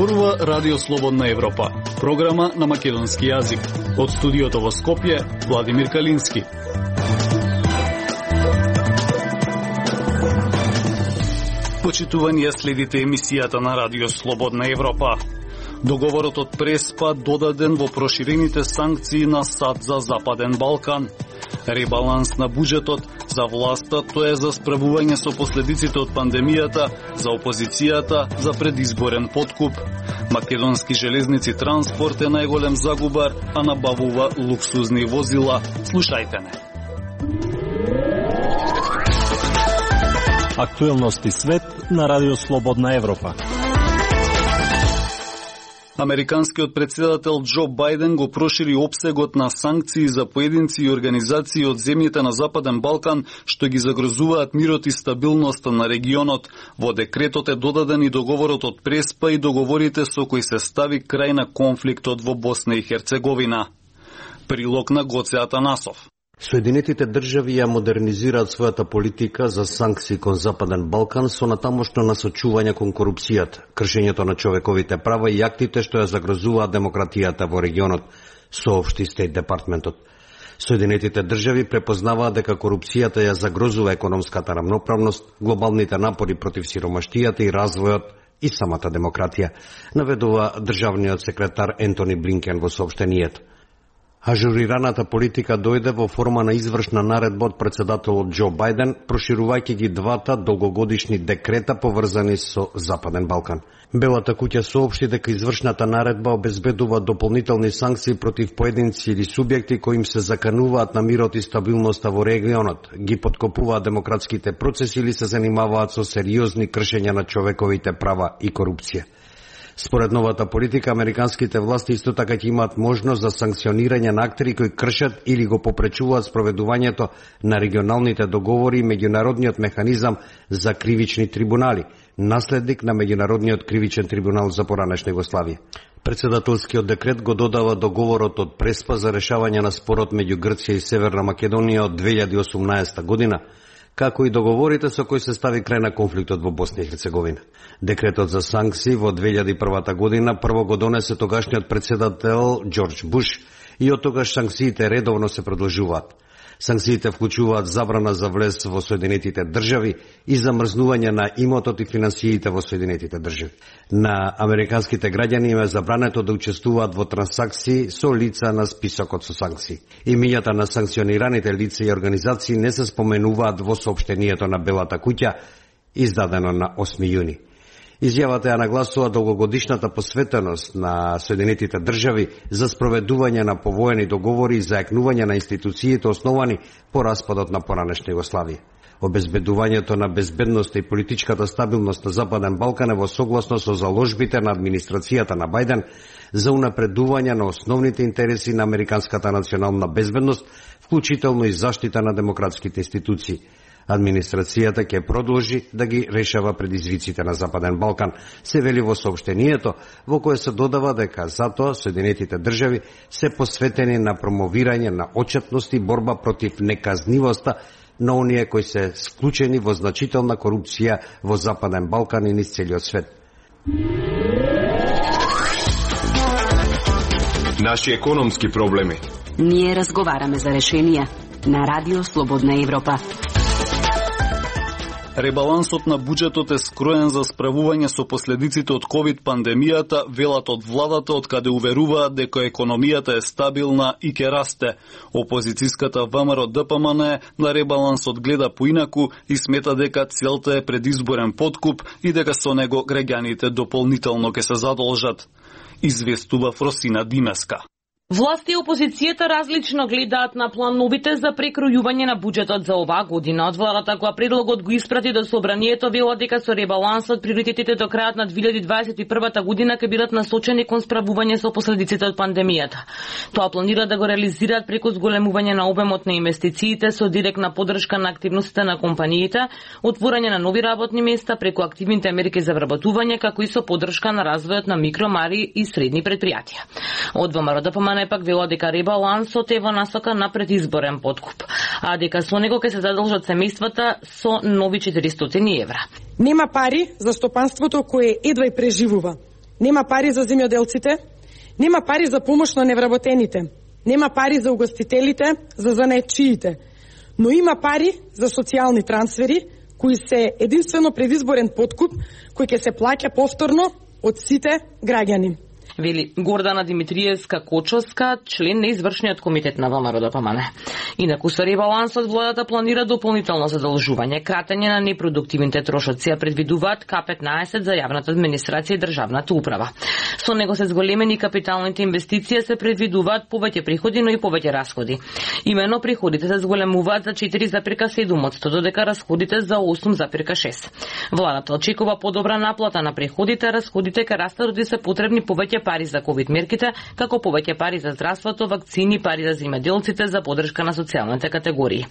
Зборува Радио Слободна Европа, програма на македонски јазик. Од студиото во Скопје, Владимир Калински. Почитувани, следите емисијата на Радио Слободна Европа. Договорот од Преспа додаден во проширените санкции на САД за Западен Балкан. Ребаланс на буџетот за власта, тоа е за справување со последиците од пандемијата, за опозицијата, за предизборен подкуп. Македонски железници транспорт е најголем загубар, а набавува луксузни возила. Слушајте не. Актуелности свет на Радио Слободна Европа. Американскиот претседател Џо Бајден го прошири опсегот на санкции за поединци и организации од земјите на Западен Балкан што ги загрозуваат мирот и стабилноста на регионот. Во декретот е додаден и договорот од Преспа и договорите со кои се стави крај на конфликтот во Босна и Херцеговина. Прилог на Гоце Атанасов. Соединетите држави ја модернизираат својата политика за санкции кон Западен Балкан со натамошно насочување кон корупцијата, кршењето на човековите права и актите што ја загрозуваат демократијата во регионот, соопшти Стейт Департментот. Соединетите држави препознаваат дека корупцијата ја загрозува економската рамноправност, глобалните напори против сиромаштијата и развојот и самата демократија, наведува државниот секретар Ентони Блинкен во соопштението. Ажурираната политика дојде во форма на извршна наредба од претседателот Џо Бајден, проширувајќи ги двата долгогодишни декрета поврзани со Западен Балкан. Белата куќа соопшти дека извршната наредба обезбедува дополнителни санкции против поединци или субјекти кои им се закануваат на мирот и стабилноста во регионот, ги поткопуваат демократските процеси или се занимаваат со сериозни кршења на човековите права и корупција. Според новата политика, американските власти исто така ќе имаат можност за санкционирање на актери кои кршат или го попречуваат спроведувањето на регионалните договори и меѓународниот механизам за кривични трибунали, наследник на Меѓународниот кривичен трибунал за поранешна Југославија. Претседателскиот декрет го додава договорот од Преспа за решавање на спорот меѓу Грција и Северна Македонија од 2018 година, како и договорите со кои се стави крај на конфликтот во Босна и Херцеговина. Декретот за санкции во 2001 година прво го донесе тогашниот претседател Џорџ Буш и од тогаш санкциите редовно се продолжуваат. Санкциите вклучуваат забрана за влез во Соединетите држави и замрзнување на имотот и финансиите во Соединетите држави. На американските граѓани им е забрането да учествуваат во трансакции со лица на списокот со санкции. Имињата на санкционираните лица и организации не се споменуваат во соопштението на Белата куќа, издадено на 8 јуни. Изјавата ја нагласува долгогодишната посветеност на Соединетите држави за спроведување на повоени договори и зајакнување на институциите основани по распадот на поранешна Југославија. Обезбедувањето на безбедноста и политичката стабилност на Западен Балкан е во согласно со заложбите на администрацијата на Бајден за унапредување на основните интереси на американската национална безбедност, вклучително и заштита на демократските институции. Администрацијата ќе продолжи да ги решава предизвиците на Западен Балкан, се вели во соопштението, во кое се додава дека затоа Соединетите држави се посветени на промовирање на отчетност и борба против неказнивоста на оние кои се склучени во значителна корупција во Западен Балкан и низ целиот свет. Наши економски проблеми. Ние разговараме за решенија на Радио Слободна Европа. Ребалансот на буџетот е скроен за справување со последиците од ковид пандемијата, велат од владата, од каде уверуваат дека економијата е стабилна и ќе расте. Опозицијската ВМРО ДПМН на ребалансот гледа поинаку и смета дека целта е предизборен подкуп и дека со него граѓаните дополнително ќе се задолжат. Известува Фросина Димеска. Власти и опозицијата различно гледаат на плановите за прекројување на буџетот за оваа година. Од владата која предлогот го испрати до собранието вела дека со ребалансот приоритетите до крајот на 2021 година ќе бидат насочени кон справување со последиците од пандемијата. Тоа планира да го реализираат преку зголемување на обемот на инвестициите со директна поддршка на активностите на компаниите, отворање на нови работни места преку активните мерки за вработување, како и со поддршка на развојот на микро, мали и средни предпријатија. Од ВМРО ДПМН пак вела дека ребалансот е во насока на предизборен подкуп, а дека со него ќе се задолжат семејствата со нови 400 евра. Нема пари за стопанството кое едва и преживува. нема пари за земјоделците, нема пари за помош на невработените, нема пари за угостителите, за занаетчиите, но има пари за социјални трансфери, кои се единствено предизборен подкуп, кој ќе се плаќа повторно од сите граѓани. Вели Гордана Димитриевска-Кочовска, член на извршниот комитет на ВМРО-ДПМН. Инаку со ребалансот владата планира дополнително задолжување, кратење на непродуктивните трошоци, а предвидуваат К15 за јавната администрација и државната управа. Со него се зголемени капиталните инвестиции, се предвидуваат повеќе приходи, но и повеќе расходи. Имено приходите се зголемуваат за 4,7%, додека расходите за 8,6%. Владата очекува подобра наплата на приходите, а расходите ке растат додека се потребни повеќе пари за ковид мерките, како повеќе пари за здравството, вакцини, пари за земјоделците, за поддршка на социјалните категории.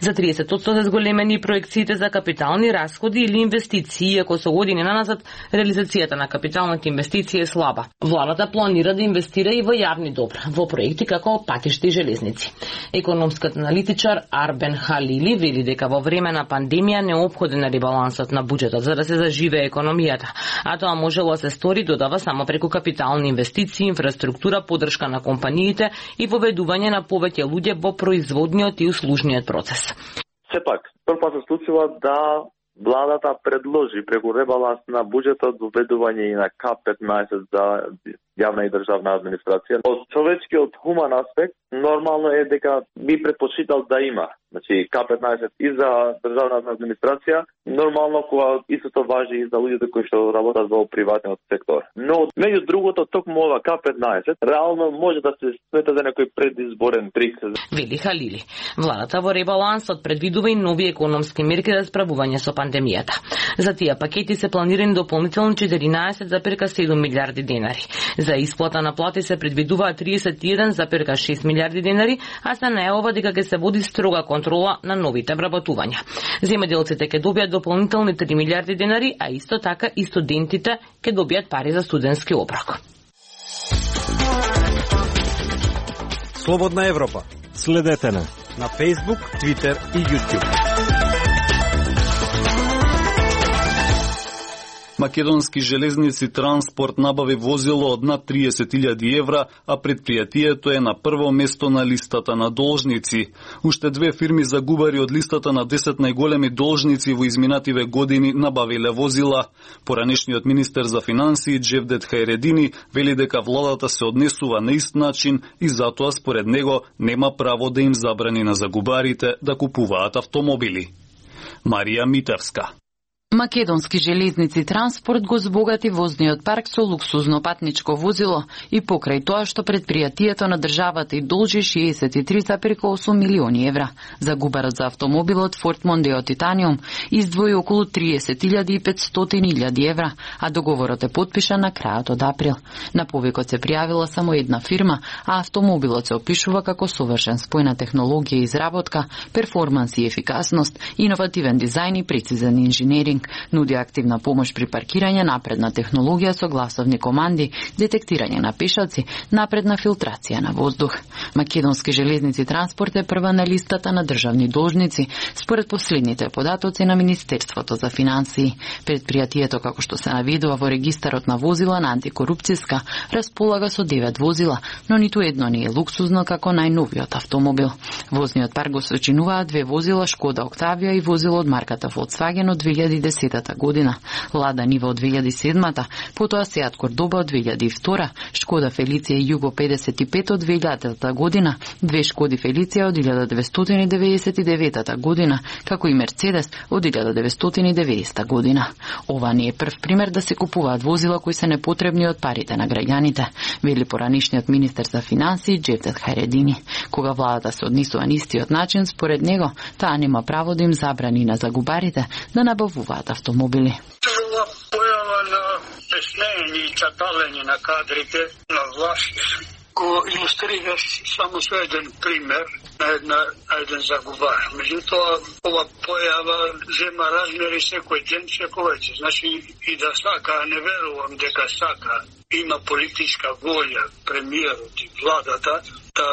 За 30% се зголемени проекциите за капитални расходи или инвестиции, иако со години наназад реализацијата на капиталните инвестиции е слаба. Владата планира да инвестира и во јавни добра, во проекти како патишта и железници. Економскиот аналитичар Арбен Халили вели дека во време на пандемија неопходен е ребалансот на буџетот за да се заживее економијата, а тоа можело да се стори, додава, само преку капитални инвестиции, инфраструктура, поддршка на компаниите и воведување на повеќе луѓе во производниот и услужниот процес. Сепак, прв се случува да владата предложи преку ребаланс на буџетот воведување и на К15 за јавна и државна администрација. Од човечкиот хуман аспект, нормално е дека би предпочитал да има, значи К15 и за државната администрација, нормално кога истото важи и за луѓето кои што работат во приватниот сектор. Но меѓу другото, токму ова К15 реално може да се смета за некој предизборен трик. Вели Халили. Владата во ребалансот предвидува и нови економски мерки за справување со пандемијата. За тие пакети се планирани дополнително 14,7 милиарди денари. За исплата на плати се предвидува 31,6 милиарди денари, а се најавува дека ќе се води строга контрола на новите вработувања. Земјоделците ќе добијат дополнителни 3 милиарди денари, а исто така и студентите ќе добијат пари за студентски оброк. Слободна Европа. Следете на Facebook, Twitter и YouTube. Македонски железници транспорт набави возило од над 30.000 евра, а предпријатието е на прво место на листата на должници. Уште две фирми загубари од листата на 10 најголеми должници во изминативе години набавиле возила. Поранешниот министер за финансии Джевдет Хајредини вели дека владата се однесува на ист начин и затоа според него нема право да им забрани на загубарите да купуваат автомобили. Марија Митевска. Македонски железници транспорт го збогати возниот парк со луксузно патничко возило и покрај тоа што предпријатието на државата и должи 63,8 милиони евра. Загубарот за автомобилот Форд Мондео Титаниум издвои околу 30.500 евра, а договорот е потпишан на крајот од април. На повикот се пријавила само една фирма, а автомобилот се опишува како совршен спој на технологија и изработка, перформанс и ефикасност, иновативен дизајн и прецизен инженеринг. Нуди активна помош при паркирање, напредна технологија со гласовни команди, детектирање на пешаци, напредна филтрација на воздух. Македонски железници транспорт е прва на листата на државни должници, според последните податоци на Министерството за финансии. Предпријатието, како што се наведува во регистарот на возила на антикорупцијска, располага со 9 возила, но ниту едно не е луксузно како најновиот автомобил. Возниот парк го сочинуваат 2 возила Шкода Октавија и возило од марката Volkswagen од 2010 година, Лада Нива од 2007, потоа Сеат Кордоба од 2002, Шкода Фелиција Југо 55 од 2000 година, 2 Шкоди Фелиција од 1999 година, како и Мерцедес од 1990 година. Ова не е прв пример да се купуваат возила кои се непотребни од парите на граѓаните, вели поранишниот министер за финансии Джевдет Хајредини. Кога владата се однесува на истиот начин, според него, таа нема право да им забрани на загубарите да набавуваат автомобили. Ова појава на стеснење и чаталење на кадрите на власт го илустрираш само со еден пример на еден загубар. Меѓутоа, ова појава зема размери секој ден се повеќе. Значи и да сака, не верувам дека сака, има политичка волја премиерот и владата да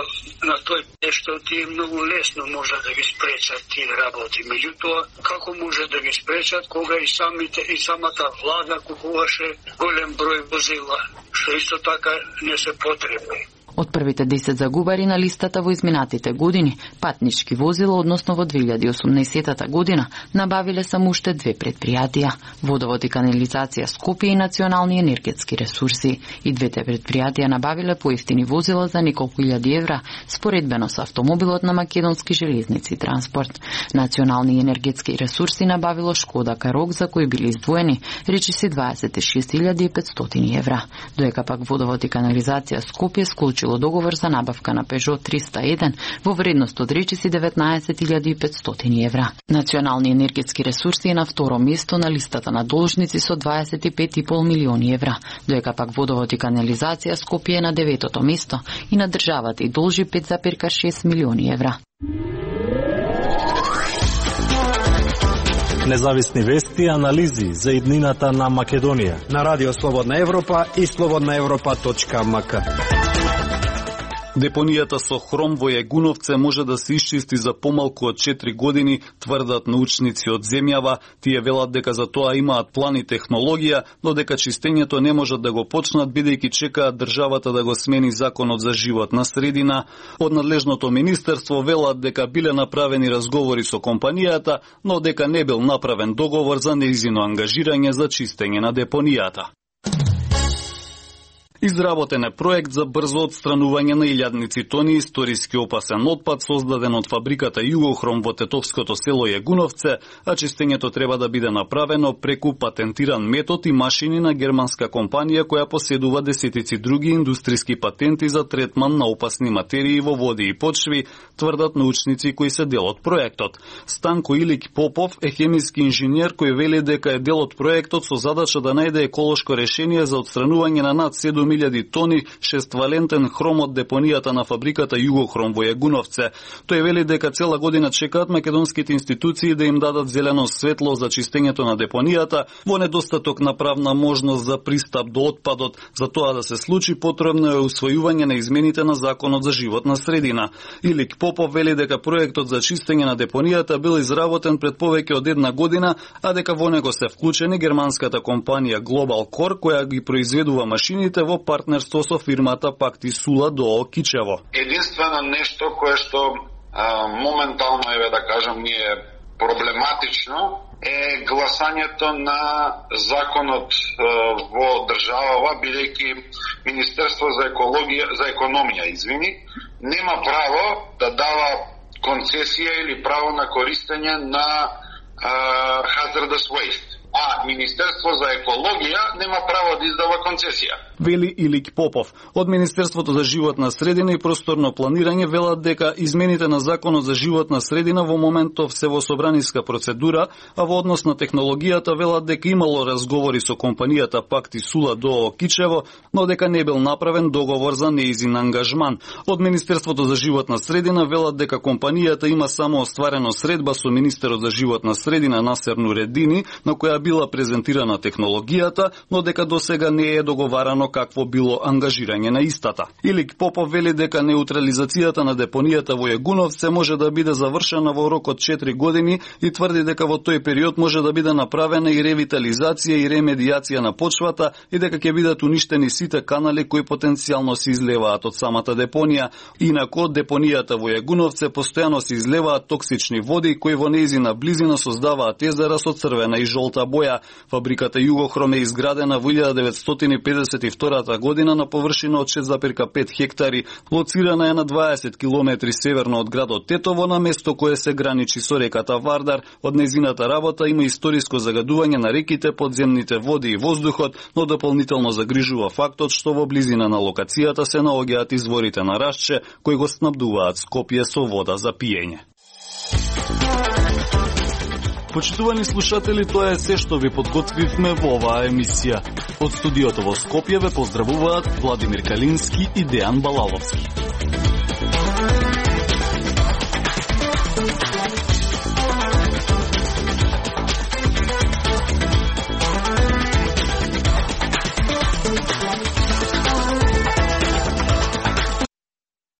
на тој нешто тие многу лесно може да ги спречат тие работи. Меѓутоа, како може да ги спречат кога и самата влада купуваше голем број возила што исто така не се потребни. Од првите 10 загубари на листата во изминатите години, патнички возила, односно во 2018 година, набавиле само уште 2 предпријатија, Водовод и канализација Скопје и Национални енергетски ресурси. И двете предпријатија набавиле поевтини возила за неколку илјади евра, споредбено со автомобилот на Македонски железници транспорт. Национални енергетски ресурси набавило Шкода Карок, за кои били издвоени речиси 26.500 евра. Доека пак Водовод и канализација Скопје склучило договор за набавка на Peugeot 301 во вредност од речиси 19.500 евра. Национални енергетски ресурси е на второ место на листата на должници со 25,5 милиони евра, доека пак Водовод и канализација Скопје е на 9-то место и на државата и должи 5,6 милиони евра. Независни вести и анализи за иднината на Македонија на Радио Слободна Европа и slobodnaevropa.mk. Депонијата со хром во Јагуновце може да се исчисти за помалку од 4 години, тврдат научници од земјава. Тие велат дека за тоа имаат план и технологија, но дека чистењето не можат да го почнат бидејќи чекаат државата да го смени законот за животна средина. Од надлежното министерство велат дека биле направени разговори со компанијата, но дека не бил направен договор за нејзино ангажирање за чистење на депонијата. Изработен е проект за брзо отстранување на илјадници тони историски опасен отпад создаден од фабриката Југохром во тетовското село Јагуновце, а чистењето треба да биде направено преку патентиран метод и машини на германска компанија која поседува десетици други индустријски патенти за третман на опасни материи во води и почви, тврдат научници кои се дел од проектот. Станко Илик Попов е хемиски инженер кој вели дека е дел од проектот со задача да најде еколошко решение за отстранување на над 7.000 тони шествалентен хром од депонијата на фабриката Југохром во Јагуновце. Тој вели дека цела година чекаат македонските институции да им дадат зелено светло за чистењето на депонијата во недостаток на правна можност за пристап до отпадот. За тоа да се случи потребно е усвојување на измените на законот за животна средина. Илик Попов вели дека проектот за чистење на депонијата бил изработен пред повеќе од една година, а дека во него се вклучени германската компанија Global Core која ги произведува машините во партнерство со фирмата Пакти Сула до Кичево. Единствено нешто кое што моментално да кажам ние проблематично е гласањето на законот во државава, бидејќи Министерство за економија, нема право да дава концесија или право на користење на hazardous waste. А Министерство за екологија нема право да издава концесија. Вели Илик Попов. Од Министерството за животна средина и просторно планирање велат дека измените на законот за животна средина во моментов се во собраниска процедура, а во однос на технологијата велат дека имало разговори со компанијата Пакти Сула до Кичево, но дека не бил направен договор за нејзин ангажман. Од Министерството за животна средина велат дека компанијата има само остварено средба со министерот за животна средина Насер Нуредини, на која била презентирана технологијата, но дека досега не е договарано какво било ангажирање на истата. Илик Попов вели дека неутрализацијата на депонијата во Јагуновце може да биде завршена во рок од 4 години и тврди дека во тој период може да биде направена и ревитализација и ремедијација на почвата и дека ќе бидат уништени сите канали кои потенцијално се излеваат од самата депонија. Инаку од депонијата во Јагуновце постојано се излеваат токсични води кои во нејзина близина создаваат езера со црвена и жолта боја. Фабриката Југохром е изградена во 1952 година на површина од 6,5 хектари, лоцирана е на 20 километри северно од градот Тетово, на место кое се граничи со реката Вардар. Од нејзината работа има историско загадување на реките, подземните води и воздухот, но дополнително загрижува фактот што во близина на локацијата се наоѓаат изворите на Рашче, кои го снабдуваат Скопје со вода за пиење. Почитувани слушатели, тоа е се што ви подготвивме во оваа емисија. Од студиото во Скопје ве поздравуваат Владимир Калински и Дејан Балаловски.